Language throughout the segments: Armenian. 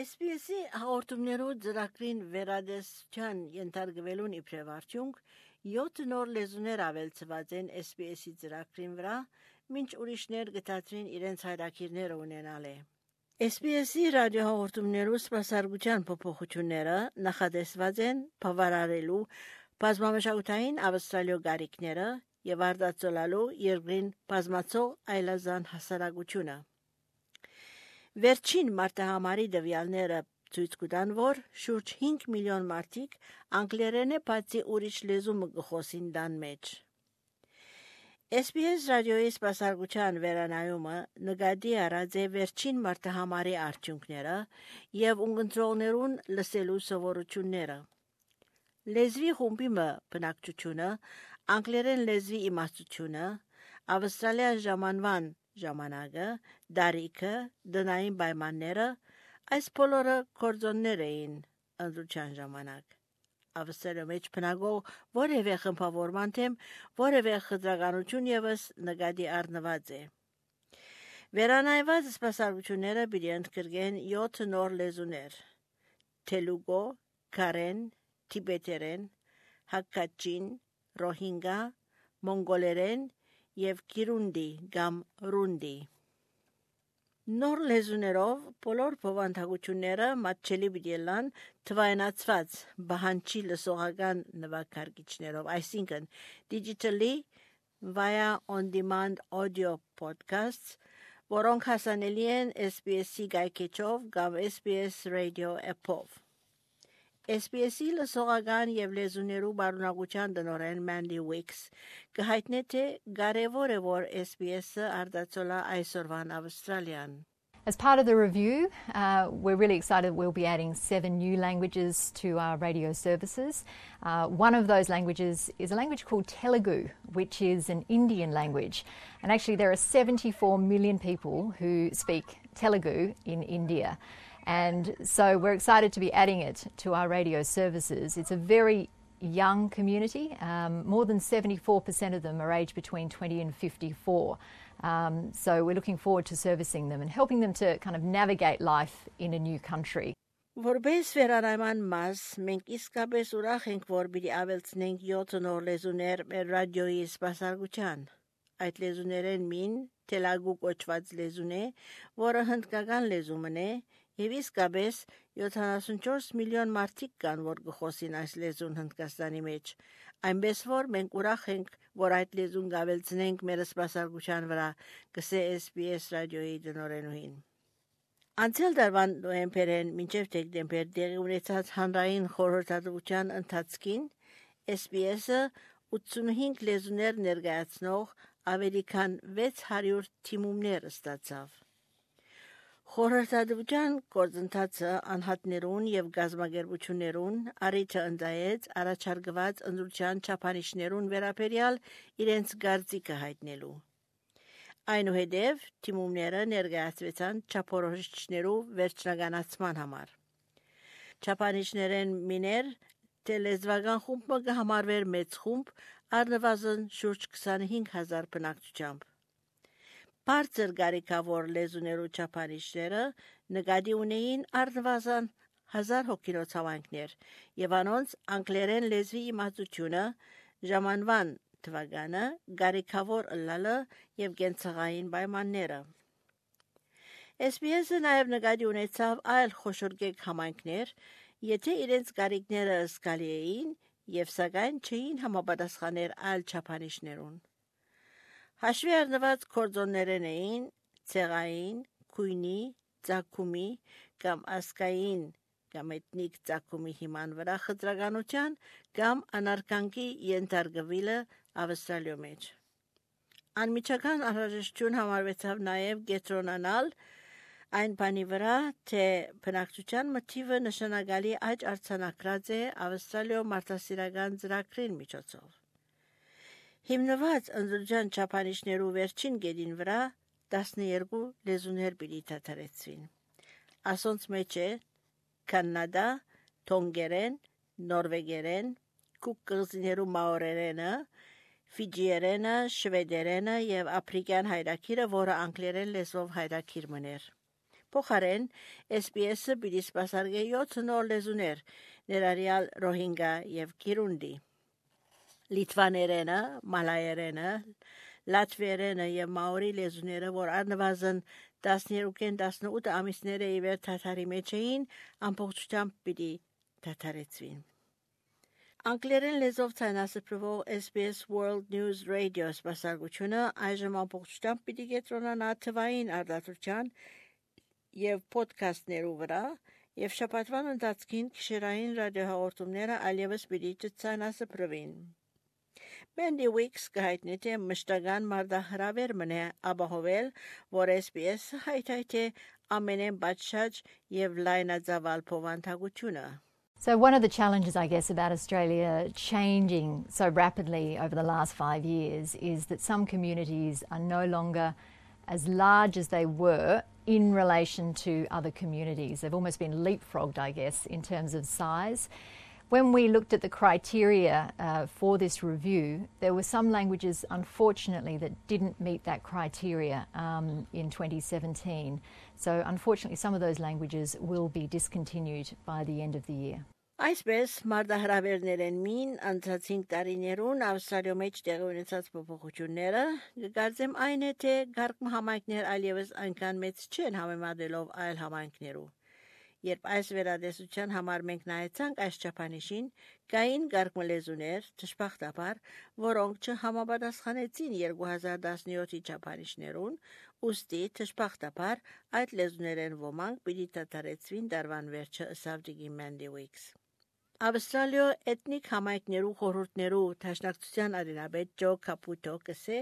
SPS-ի հաղորդումներու ծրագրին վերադեսության ենթարկվելուն իբրև արդյունք 7 նոր լեզուներ ավելցված են SPS-ի ծրագրին վրա, մինչ ուրիշներ գտածրին իրենց հայրակիրները ունենալ է։ SPS-ի ռադիոհաղորդումներու սպասարկության փոփոխությունները նախատեսված են բավարարելու բազմամշակութային ավստրալիո գարիքները եւ արտացոլալու երկրին բազմացող այլազան հասարակությունը։ Վերջին մարտահամարի դվյալները ցույց կտան, որ շուրջ 5 միլիոն մարդիկ անգլերենը բացի ուրիշ լեզու մը գխոսին դան մեջ։ SPS ռադիոյի սպասարկության վերանայումը նկատի առած է վերջին մարտահամարի արդյունքները եւ ունգընտրողներուն լսելու սովորությունները։ Լեզվի խումբի մը բնակչությունը, անգլերեն լեզվի իմաստությունը, ավստրալիա ժամանման ժամանակը, դարիքը, դնային պայմանները, այս բոլորը կորձոններ էին ընդրության ժամանակ։ Ավստրալիա մեջ բնակող որևէ խմբավորման թեմ որևէ խտրականություն եւս նկատի առնված է։ Վերանայված սպասարկությունները պիտի ընդգրկեն 7 նոր լեզուներ՝ թելուգո, կարեն, տիբետերեն, հակկաչին, ռոհինգա, մոնգոլերեն եւ կիրունդի կամ ռունդի։ Նոր լեզուներով բոլոր բովանդակությունները մատչելի պիտի լան թվայնացված բահանջի լսողական նվագարկիչներով, այսինքն digitally via on-demand audio podcasts, որոնք հասանելի են SPS-ի գայքեչով կամ SPS Radio app-ով։ SPS-ի լսողական եւ լեզուներու բարունակության տնօրեն Mandy Wicks կհայտնի թե կարեւոր է որ SPS-ը արտացոլա այսօրվան Ավստրալիան։ As part of the review, we're really excited we'll be adding 7 new languages to our radio services. One of those languages is a language called Telugu, which is an Indian language. And actually there are 74 million people who speak Telugu in India. And so we're excited to be adding it to our radio services. It's a very young community. More than 74% of them are aged between 20 and 54. So we're looking forward to servicing them and helping them to kind of navigate life in a new country. Որպես վերանայման մաս, մենք իսկապես ուրախ ենք, որ պիտի ավելցնենք 7 նոր լեզուներ մեր ռադիոյի սպասարկության։ Այդ լեզուներեն մին Թելագու կոչված լեզուն է, որը հնդկական լեզումն է, եւ իսկապես 74 միլիոն մարդիկ կան, որ գխոսին այս լեզուն Հնդկաստանի մեջ։ Այնպես որ մենք ուրախ ենք, որ այդ լեզուն գավելցնենք մեր սպասարկության վրա, գսե SPS ռադիոյի տնօրենուհին։ Անցյալ տարվան նոյեմբերին մինչև դեկտեմբեր տեղի ունեցած հանրային խորհրդատվության ընթացքին SPS-ը 85 լեզուներ ներկայացնող ավելի քան 600 թիմումներ ստացավ։ Խորհրդատվության գործընթացը անհատներուն եւ գազագերբություններուն առիթը ընդայեց առաջարկված ընդրության չափանիշներուն վերաբերյալ իրենց գարծիքը հայտնելու։ Այնուհետև թիմումները ներկայացվեցան չափորոշիչներու վերջնականացման համար։ Չափանիշներեն միներ տելեզվական խումբը կհամարվեր մեծ խումբ առնվազն շուրջ 25000 բնակչությամբ։ Բարձր գարիկավոր լեզուներու չափանիշները նկատի ունեին առնվազն 1000 հոգինոց հավանքներ եւ անոնց անգլերեն լեզվի իմացությունը ժամանման թվականը գարիկավոր ըլլալը եւ կենցաղային պայմանները։ SPS-ը նաեւ նկատի ունեցավ այլ խոշորգեկ համայնքներ, եթե իրենց գարիկները զգալի էին եւ սակայն չէին համապատասխաներ այլ չափանիշներուն։ Հաշվի առնված կորձոններն էին ցեղային, քույնի, ծագումի կամ ասկային կամ էթնիկ ծագումի հիման վրա խտրականության կամ անարգանքի ենթարկվելը Ավստրալիո մեջ։ Անմիջական անհրաժեշտություն համարվեցավ նաև կենտրոնանալ այն բանի վրա, թե բնակչության մթիվը նշանակալի աճ արձանագրած է Ավստրալիո մարդասիրական ծրագրին միջոցով։ Հիմնված ընդրության չափանիշներու վերջին գեդին վրա 12 լեզուներ պիտի դադարեցվին։ Ասոնց մեջ է կանադա, թոնգերեն, նորվեգերեն, կուկ կղզիներու մաորերենը, ֆիջիերենը, շվեդերենը եւ աֆրիկյան հայրակիրը, որը անգլերեն լեզվով հայրակիր մներ։ Փոխարեն SPS-ը պիտի սպասարկե 7 նոր լեզուներ, ներառյալ ռոհինգա եւ քիրունդի։ Լիտվաներենը, մալայերենը, լատվիերենը եւ մաորի լեզուները, որ առնվազն 12-18 ամիսները ի վեր թաթարի մեջ էին, ամբողջությամբ պիտի թաթարեցվին։ Անգլերեն լեզվով ցանասպրվող SBS World News Radio սպասարկությունը այժմ ամբողջությամբ պիտի կենտրոնանա թվային արտադրության եւ ոդքասթներու վրա եւ շաբաթվան ընթացքին գիշերային ռադիոհաղորդումները այլևս պիտի չցանասպրվին։ Mandy Weeks կհայտնի թե մշտական մարդահրավեր մնե ապահովել, որ SBS հայթայթե ամենեն պատշաճ եւ լայնածավալ փոխանցությունը։ So one of the challenges, I guess, about Australia changing so rapidly over the last 5 years is that some communities are no longer as large as they were in relation to other communities. They've almost been leapfrogged, I guess, in terms of size. When we looked at the criteria for this review, there were some languages, unfortunately, that didn't meet that criteria in 2017. So, unfortunately, some of those languages will be discontinued by the end of the year. Այսպես մարդահրավերներեն մին անցածին տարիներուն Ավստրալիո մեջ տեղի ունեցած փոփոխությունները գկարծեմ այն է թե գարկմ համայնքներ այլևս այնքան մեծ չեն համեմատելով այլ համայնքներու։ Երբ այս վերադեսության համար մենք նայեցանք այս չափանիշին, կային գարկմ լեզուներ, ճշմարտաբար, որոնք չհամապատասխանեցին 2017-ի չափանիշներուն, ուստի ճշմարտաբար այդ լեզուներեն ոմանք պիտի դադարեցվին դարվան վերջը ըսավ Դիգի Mandy Weeks։ Ավստրալիո էթնիկ համայնքներու խորհուրդներու դաշնակցության արինաբեդ Ջո Կապուտո կսե,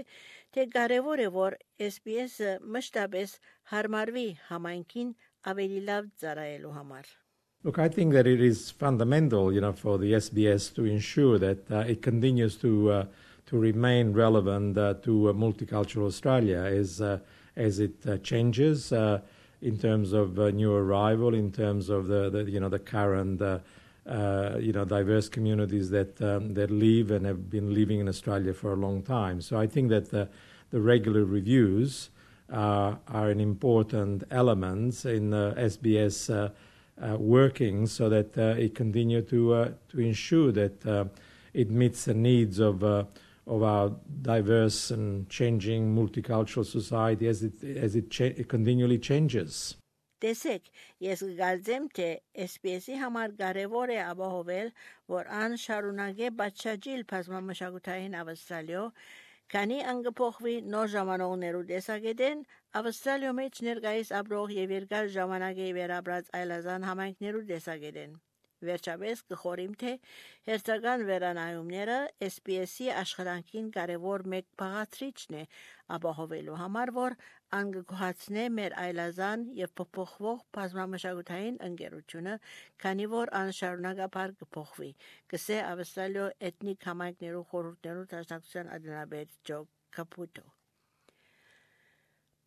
թե կարևոր է որ SPS-ը մշտապես հարմարվի համայնքին ավելի լավ ծառայելու համար։ Look, I think that it is fundamental, for the SBS to ensure that it continues to remain relevant to multicultural Australia as it changes in terms of new arrival, in terms of the current diverse communities that live and have been living in Australia for a long time. So I think that the regular reviews are an important element in SBS working so that it continue to ensure that it meets the needs of our diverse and changing multicultural society as it continually changes. Տեսեք, ես գալձեմ թե SPS-ի համար կարևոր է ապահովել, որ ան շարունակե բացաճիլ բազմամշակութային Ավստրալիո, քանի անգփոխվի նոր ժամանողներու տեսակետեն Ավստրալիո մեջ ներկայիս ապրող եւ երկար ժամանակ է վերաբրած այլազան համայնքներու տեսակետեն։ Վերջապես կխորիմ թե հերթական վերանայումները SPS-ի աշխատանքին կարևոր մեկ բաղադրիչն է ապահովելու համար, որ անգկոհացնե մեր այլազան եւ փոփոխվող բազմամշակութային ընկերությունը, քանի որ անշարունակաբար կփոխվի, կսե Ավստրալիո էթնիկ համայնքներու խորհուրդներու դաշնակցության անդրադարձ Ջո Կապուտո։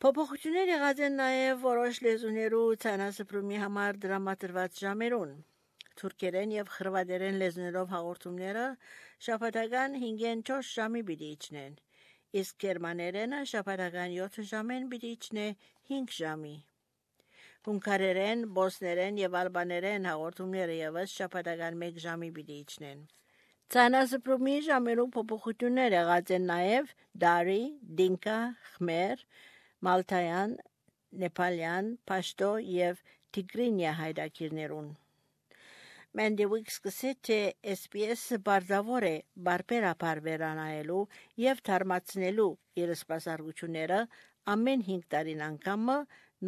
Փոփոխություններ եղած են նաեւ որոշ լեզուներու ցանասպրումի համար դրամատրված ժամերուն։ Թուրքերեն եւ խրվատերեն լեզուներով հաղորդումները շաբաթական 5-4 ժամի պիտի իջնեն, իսկ գերմաներենը շաբաթական 7 ժամեն պիտի իջնե 5 ժամի։ Հունգարերեն, բոսներեն եւ ալբաներեն հաղորդումները եւս շաբաթական 1 ժամի պիտի իջնեն։ Ցանասպրումի ժամերու փոփոխություններ եղած են նաեւ դարի, դինկա, խմեր, մալթայան, նեպալյան, պաշտո եւ տիգրինյա հայրակիրներուն։ Mandy Weeks կսե թե SPS-ը բարձավոր է բարբերաբար վերանայելու եւ թարմացնելու իր սպասարկությունները ամեն 5 տարին անգամը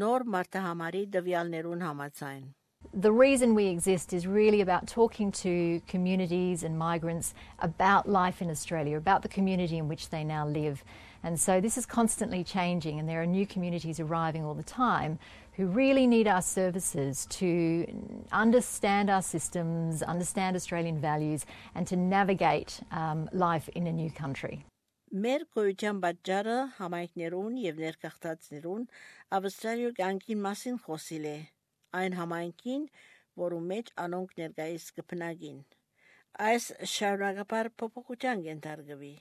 նոր մարտահամարի դվյալներուն համաձայն։ The reason we exist is really about talking to communities and migrants about life in Australia, about the community in which they now live. And so this is constantly changing, and there are new communities arriving all the time who really need our services to understand our systems, understand Australian values, and to navigate life in a new country. Մեր գոյության պատճառը համայնքներուն եւ ներկախտածներուն Ավստրալիա կյանքին մասին խոսիլ է, այն համայնքին, որում մեջ անոնք ներկայիս կբնակին։ Այս շարունակաբար փոփոխության կենթարկվի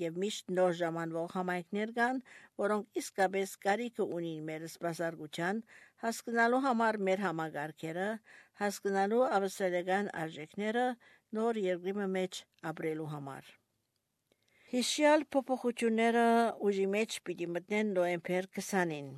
եւ միշտ նոր ժամանվող համայնքներ կան, որոնք իսկապես կարիք ունին մեր սպասարկության, հասկանալու համար մեր համագարկերը, հասկանալու ավստրալիական արժեքները նոր երկրի մեջ ապրելու համար։ Հիշյալ փոփոխությունները ուժի մեջ պիտի մտնեն նոյեմբեր 20-ին։